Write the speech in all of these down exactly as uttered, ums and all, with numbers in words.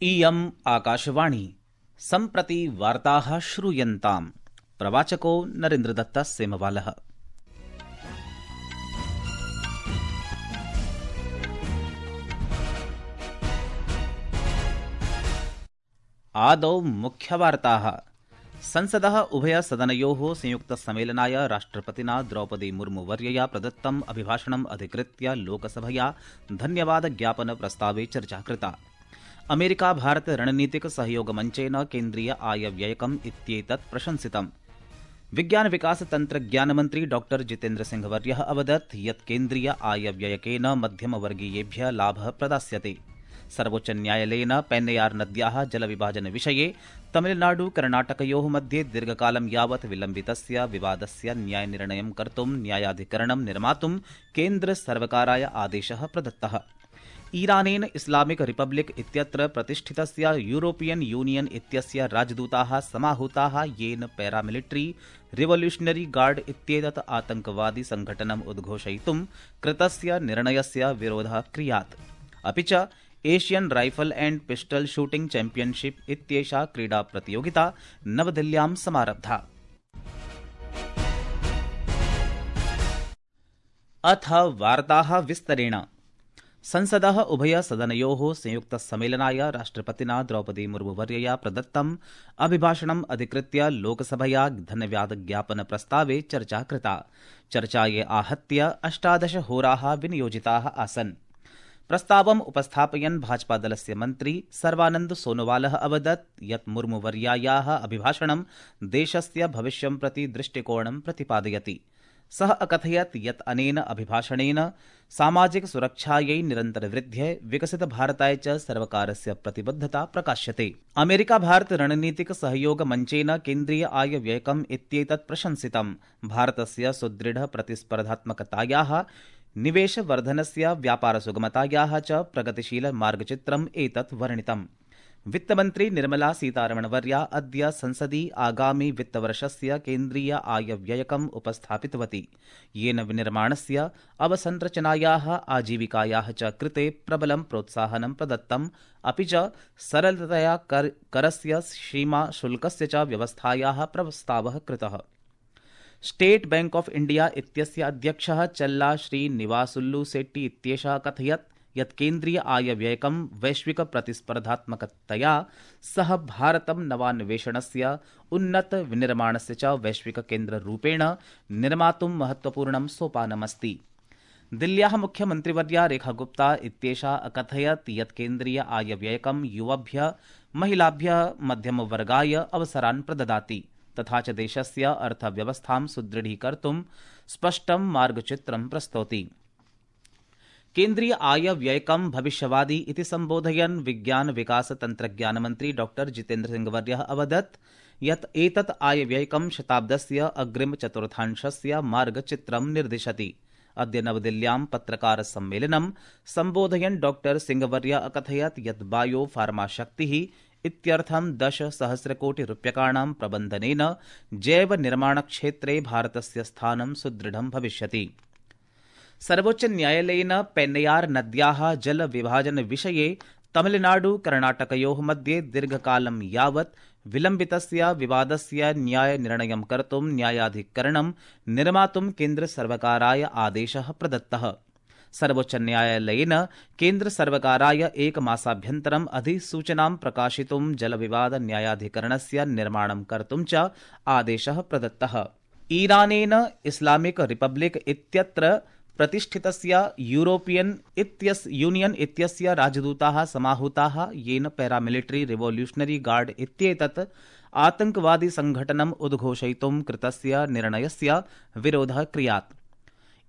इयम् आकाशवाणी सम्प्रति वार्ताः श्रूयन्ताम्। प्रवाचको नरेन्द्रदत्तः सेमवालः। आदौ मुख्यवार्ताः। संसदः उभयसदनयोः संयुक्तसम्मेलनाय राष्ट्रपतिना द्रौपदी मुर्मुवर्यया प्रदत्तम् अभिभाषणम् अधिकृत्य लोकसभया धन्यवादज्ञापनप्रस्तावे चर्चा कृता। अमेरिका भारत रणनीतिक सहयोगमञ्चेन केन्द्रीय आयव्ययकम् इत्येतत् प्रशंसितम्। विज्ञान विकास तन्त्रज्ञानमन्त्री डॉ जितेन्द्रसिंहवर्यः अवदत् यत् केन्द्रीय आयव्ययकेन मध्यमवर्गीयेभ्यः लाभः प्रदास्यते। सर्वोच्चन्यायालयेन पेन्नयार नद्याः जलविभाजनविषये तमिलनाडु कर्णाटकयोः मध्ये दीर्घकालं यावत् विलम्बितस्य विवादस्य न्यायनिर्णयं कर्तुं न्यायाधिकरणं निर्मातुं केन्द्रसर्वकाराय आदेशः प्रदत्तः। ईरानेन इस्लामिक रिपब्लिक इत्यत्र प्रतिष्ठितस्य यूरोपियन यूनियन इत्यस्य राजदूताः समाहूताः, येन पैरामिलिट्री रिवोल्यूशनरी गार्ड इत्येतत् आतंकवादी संघटनम् उद्घोषयितुं कृतस्य निर्णयस्य विरोधः क्रियात्। अपि च Asian rifle and pistol shooting championship इत्येषा क्रीडा प्रतियोगिता नवदिल्ल्यां समारब्धा। अथ वार्ताः विस्तरेण। संसदः उभयसदनयोः संयुक्तसम्मेलनाय राष्ट्रपतिना द्रौपदी मुर्मुवर्यया प्रदत्तम् अभिभाषणम् अधिकृत्य लोकसभया धन्यवादज्ञापनप्रस्तावे चर्चा कृता। चर्चायै आहत्य अष्टादश होराः विनियोजिताः आसन्। प्रस्तावम् उपस्थापयन् भाजपादलस्य मन्त्री सर्वानन्द सोनोवालः अवदत् यत् मुर्मुवर्यायाः अभिभाषणं देशस्य भविष्यं प्रति दृष्टिकोणं प्रतिपादयति। सः अकथयत् यत् अनेन अभिभाषणेन सामाजिक सुरक्षायै निरन्तरवृद्ध्यै विकसितभारताय च सर्वकारस्य प्रतिबद्धता प्रकाश्यते। अमेरिका भारत रणनीतिक सहयोग मञ्चेन केन्द्रीय आयव्ययकम् इत्येतत् प्रशंसितम्। भारतस्य सुदृढ प्रतिस्पर्धात्मकतायाः, निवेशवर्धनस्य, व्यापारसुगमतायाः च प्रगतिशील मार्गचित्रम् एतत् वर्णितम्। वित्तमन्त्री निर्मला सीतारमणवर्या अद्य संसदि आगामि वित्तवर्षस्य केन्द्रीय आयव्ययकम् उपस्थापितवती, येन विनिर्माणस्य, अवसंरचनायाः, आजीविकायाः च कृते प्रबलं प्रोत्साहनं प्रदत्तम्। अपि च सरलतया कर, करस्य सीमा शुल्कस्य च व्यवस्थायाः प्रस्तावः कृतः। स्टेट बैंक ऑफ इंडिया इत्यस्य अध्यक्षः चल्ला श्रीनिवासुल्लु शेट्टी इत्येषः कथयत् यत् केन्द्रीय आयव्ययकं वैश्विक प्रतिस्पर्धात्मकतया सह भारतं नवान्वेषणस्य, उन्नत विनिर्माणस्य च वैश्विक केन्द्ररूपेण निर्मातुं महत्वपूर्णं सोपानमस्ति। दिल्ल्याः मुख्यमन्त्रिवर्या रेखा गुप्ता इत्येषा अकथयत् यत् केन्द्रीय आयव्ययकं युवभ्यः, महिलाभ्यः, मध्यमवर्गाय अवसरान् प्रददाति तथा च देशस्य अर्थव्यवस्थां सुदृढीकर्तुं स्पष्टं मार्गचित्रं प्रस्तौति। केन्द्रीय आयव्ययकं भविष्यवादी इति सम्बोधयन् विज्ञान विकास तन्त्रज्ञानमन्त्री डॉ जितेन्द्रसिंहवर्यः अवदत् यत् एतत् आयव्ययकं शताब्दस्य अग्रिमचतुर्थांशस्य मार्गचित्रं निर्दिशति। अद्य नवदिल्ल्यां पत्रकारसम्मेलनं सम्बोधयन् डॉ सिंहवर्यः अकथयत् यत् बायो फार्माशक्तिः इत्यर्थं दश सहस्रकोटिरूप्यकाणां प्रबन्धनेन जैवनिर्माणक्षेत्रे भारतस्य स्थानं सुदृढं भविष्यति। सर्वोच्चन्यायालयेन पेन्नयार नद्याः जलविभाजनविषये तमिलनाडु कर्णाटकयोः मध्ये दीर्घकालं यावत् विलम्बितस्य विवादस्य न्यायनिर्णयं कर्तुं न्यायाधिकरणं निर्मातुं केन्द्रसर्वकाराय आदेशः प्रदत्तः। सर्वोच्चन्यायालयेन केन्द्रसर्वकाराय एकमासाभ्यन्तरम् अधिसूचनां प्रकाशितुं जलविवाद न्यायाधिकरणस्य निर्माणं कर्तुं च आदेशः प्रदत्तः। ईरानेन इस्लामिक रिपब्लिक इत्यत्र प्रतिष्ठितस्य यूरोपियन इत्यस्य यूनियन इत्यस्य राजदूताः समाहूताः, येन पैरामिलिट्री रिवोल्यूशनरी गार्ड इत्येतत् आतंकवादी संघटनम् उद्घोषयितुं कृतस्य निर्णयस्य विरोधः क्रियात्।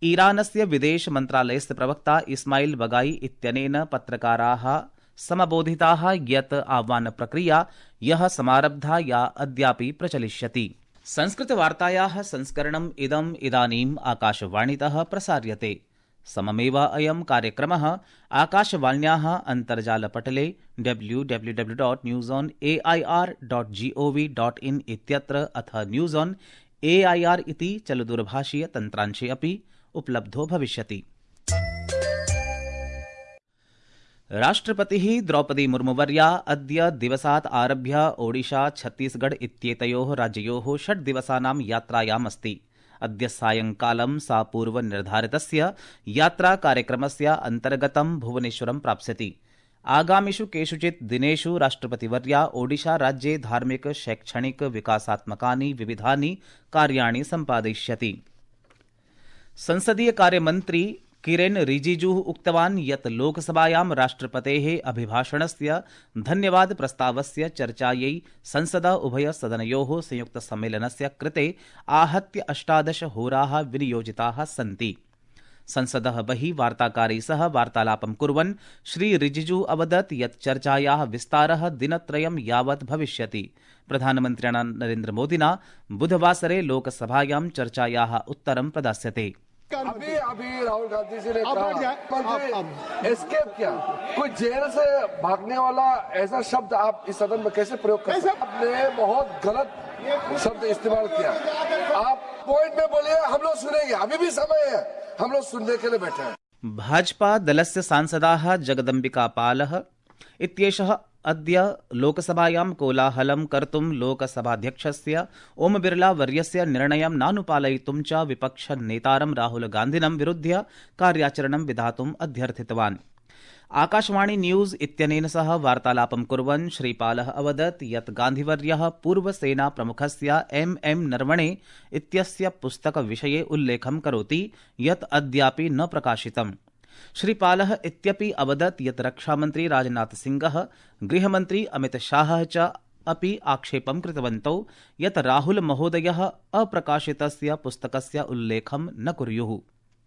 ईरानस्य विदेश मन्त्रालयस्य प्रवक्ता इस्माइल बगाई इत्यनेन पत्रकाराः समबोधिताः यत् आह्वानप्रक्रिया यः समारब्धा या अद्यापि प्रचलिष्यति। संस्कृतवार्तायाः संस्करणम् इदम् इदानीम् आकाशवाणीतः प्रसार्यते। सममेव अयं कार्यक्रमः आकाशवाण्याः अन्तर्जालपटले W W W dot news on A I R dot G O V dot in इत्यत्र अथ news on A I R इति चलदूरभाषीय तन्त्रांशे अपि उपलब्धो भविष्यति। राष्ट्रपतिः द्रौपदी मुर्मुवर्या अद्य दिवसात् आरभ्य ओडिशा छत्तीसगढ़ इत्येतयोः राज्ययोः षड् दिवसानां यात्रायाम् अस्ति। अद्य सायंकालं सा पूर्वनिर्धारितस्य यात्राकार्यक्रमस्य अन्तर्गतं भुवनेश्वरं प्राप्स्यति। आगामिषु केषुचित् दिनेषु राष्ट्रपतिवर्या ओडिशा राज्ये धार्मिक शैक्षणिक विकासात्मकानि विविधानि कार्याणि सम्पादयिष्यति। संसदीय कार्यमन्त्री किरेन रिजिजूः उक्तवान् यत् लोकसभायां राष्ट्रपतेः अभिभाषणस्य धन्यवाद प्रस्तावस्य चर्चायै संसद उभयसदनयोः संयुक्तसम्मेलनस्य कृते आहत्य अष्टादश होराः विनियोजिताः सन्ति। संसदः बहिः वार्ताकारैः सह वार्तालापं कुर्वन् श्री रिजिजू अवदत् यत् चर्चायाः विस्तारः दिनत्रयं यावत् भविष्यति। प्रधानमन्त्रिणा नरेन्द्रमोदिना बुधवासरे लोकसभायां चर्चायाः उत्तरं प्रदास्यते। अभी अभी राहुल गांधी जी ने कहा एस्केप किया, कोई जेल से भागने वाला ऐसा शब्द आप इस सदन में कैसे प्रयोग कर सकते? आपने बहुत गलत शब्द इस्तेमाल किया। आप पॉइंट में बोलिए, हम लोग सुनेंगे, अभी भी समय है, हम लोग सुनने के लिए बैठे हैं। भाजपा दलस्य सांसदाः जगदम्बिकापालः इत्येषः अद्य लोकसभायां कोलाहलं कर्तुं लोकसभाध्यक्षस्य ओम बिरला वर्यस्य निर्णयं नानुपालयितुं च विपक्षनेतारं राहुल गान्धिनं विरुध्य कार्याचरणं विधातुम् अध्यर्थितवान्। आकाशवाणी न्यूज इत्यनेन सह वार्तालापं कुर्वन् श्रीपालः अवदत् यत् गान्धिवर्यः पूर्वसेनाप्रमुखस्य एम एम नरवणे इत्यस्य पुस्तकविषये उल्लेखं करोति यत् अद्यापि न प्रकाशितम्। श्रीपालः इत्यपि अवदत् यत् रक्षामन्त्री राजनाथसिंहः गृहमन्त्री अमितशाहः च अपि आक्षेपं कृतवन्तौ यत् राहुल महोदयः अप्रकाशितस्य पुस्तकस्य उल्लेखं न कुर्युः।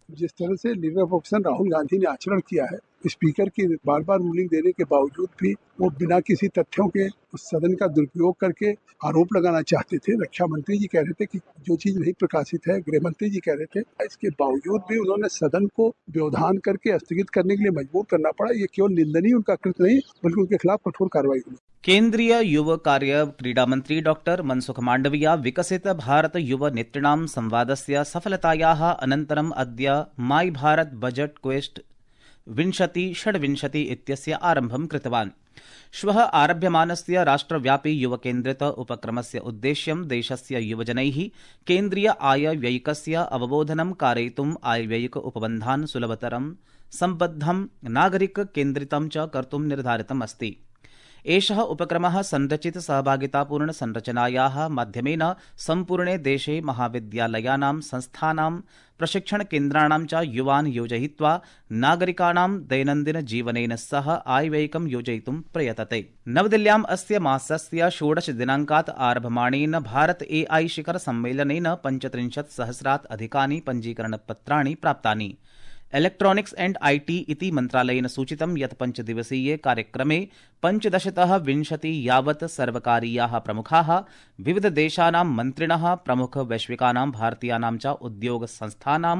जिस तरह से leader of opposition Rahul Gandhi ने आचरण किया है, स्पीकर की बार बार रूलिंग देने के बावजूद भी वो बिना किसी तथ्यों के सदन का दुरुपयोग करके आरोप लगाना चाहते थे। रक्षा मंत्री जी कह रहे थे कि जो चीज नहीं प्रकाशित है, गृह मंत्री जी कह रहे थे, इसके बावजूद भी उन्होंने सदन को व्यवधान करके स्थगित करने के लिए मजबूर करना पड़ा। ये केवल निंदनीय उनका कृत्य नहीं, बल्कि उनके खिलाफ कठोर कार्रवाई हुई। केन्द्रीय युव कार्य क्रीडा मंत्री डॉक्टर मनसुख मांडविया विकसित भारत युव नेतॄणां संवादस्य सफलतायाः अनन्तरम् अद्य माई भारत बजट क्वेस्ट विंशति षड्विंशति इत्यस्य आरम्भं कृतवान्। श्वः आरभ्यमानस्य राष्ट्रव्यापी युवकेन्द्रित उपक्रमस्य उद्देश्यं देशस्य युवजनैः केन्द्रीय आयव्ययिकस्य अवबोधनं कारयितुम् आयव्ययिक उपबन्धान् सुलभतरं सम्बद्धं नागरिक केन्द्रितं च कर्तुं निर्धारितम् अस्ति। एषः उपक्रमः संरचित सहभागितापूर्ण संरचनायाः माध्यमेन सम्पूर्णे देशे महाविद्यालयानां संस्थानां प्रशिक्षणकेन्द्राणां च युवान् योजयित्वा नागरिकाणां दैनन्दिनजीवनेन सह आयव्ययिकं योजयितुं प्रयतते। नवदिल्ल्याम् अस्य मासस्य षोडश दिनाङ्कात् आरभमाणेन भारत ए आई शिखर सम्मेलनेन पञ्चत्रिंशत् सहस्रात् अधिकानि पञ्जीकरणपत्राणि प्राप्तानि। इलेक्ट्रॉनिक्स एंड आईटी इति मन्त्रालयेन सूचितं यत् पञ्चदिवसीये कार्यक्रमे पञ्चदशतः विंशति यावत् सर्वकारीयाः प्रमुखाः, विविधदेशानां मन्त्रिणः, प्रमुख वैश्विकानां भारतीयानां च उद्योगसंस्थानां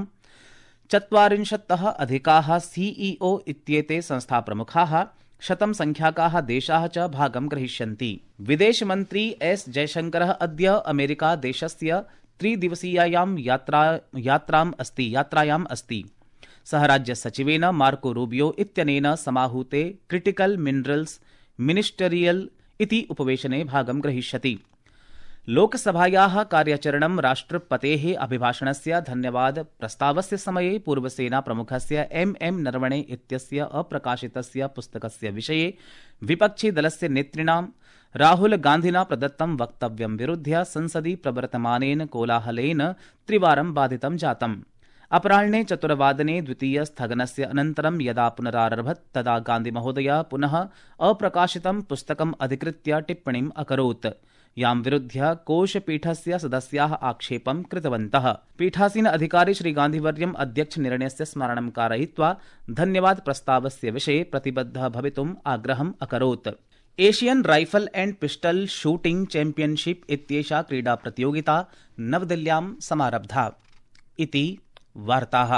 चत्वारिंशत्तः अधिकाः सीईओ इत्येते संस्थाप्रमुखाः, शतं संख्याकाः देशाः च भागं ग्रहीष्यन्ति। विदेशमन्त्री एस जयशंकरः अद्य अमेरिका देशस्य त्रिदिवसीयायां यात्रा यात्राम् अस्ति यात्रायाम् अस्ति। सह राज्य सचिवेन मार्को रूबियो इत्यनेन समाहूते क्रिटिकल मिनरल्स मिनिस्टेरियल इति उपवेशने भागं ग्रहीष्यति। लोकसभायाः कार्याचरणं राष्ट्रपतेः अभिभाषणस्य धन्यवाद प्रस्तावस्य समये पूर्वसेना प्रमुखस्य एम एम नरवणे इत्यस्य अप्रकाशितस्य पुस्तकस्य विषये विपक्षी दलस्य नेतृणां राहुल गान्धिना प्रदत्तं वक्तव्यं विरुध्य संसदि प्रवर्तमानेन कोलाहलेन त्रिवारं बाधितं जातम्। अपराह्णे चतुर्वादने द्वितीय स्थगनस्य अनन्तरं यदा पुनरारभत तदा गान्धिमहोदयः पुनः अप्रकाशितं पुस्तकम् अधिकृत्य टिप्पणीम् अकरोत्, यां विरुध्य कोशपीठस्य सदस्याः आक्षेपं कृतवन्तः। पीठासीन अधिकारी श्रीगान्धिवर्यम् अध्यक्षनिर्णयस्य स्मरणं कारयित्वा धन्यवाद प्रस्तावस्य विषये प्रतिबद्धः भवितुम् आग्रहम् अकरोत्। Asian rifle and pistol shooting championship इत्येषा क्रीडा प्रतियोगिता नवदिल्ल्यां समारब्धा इति वार्ताः।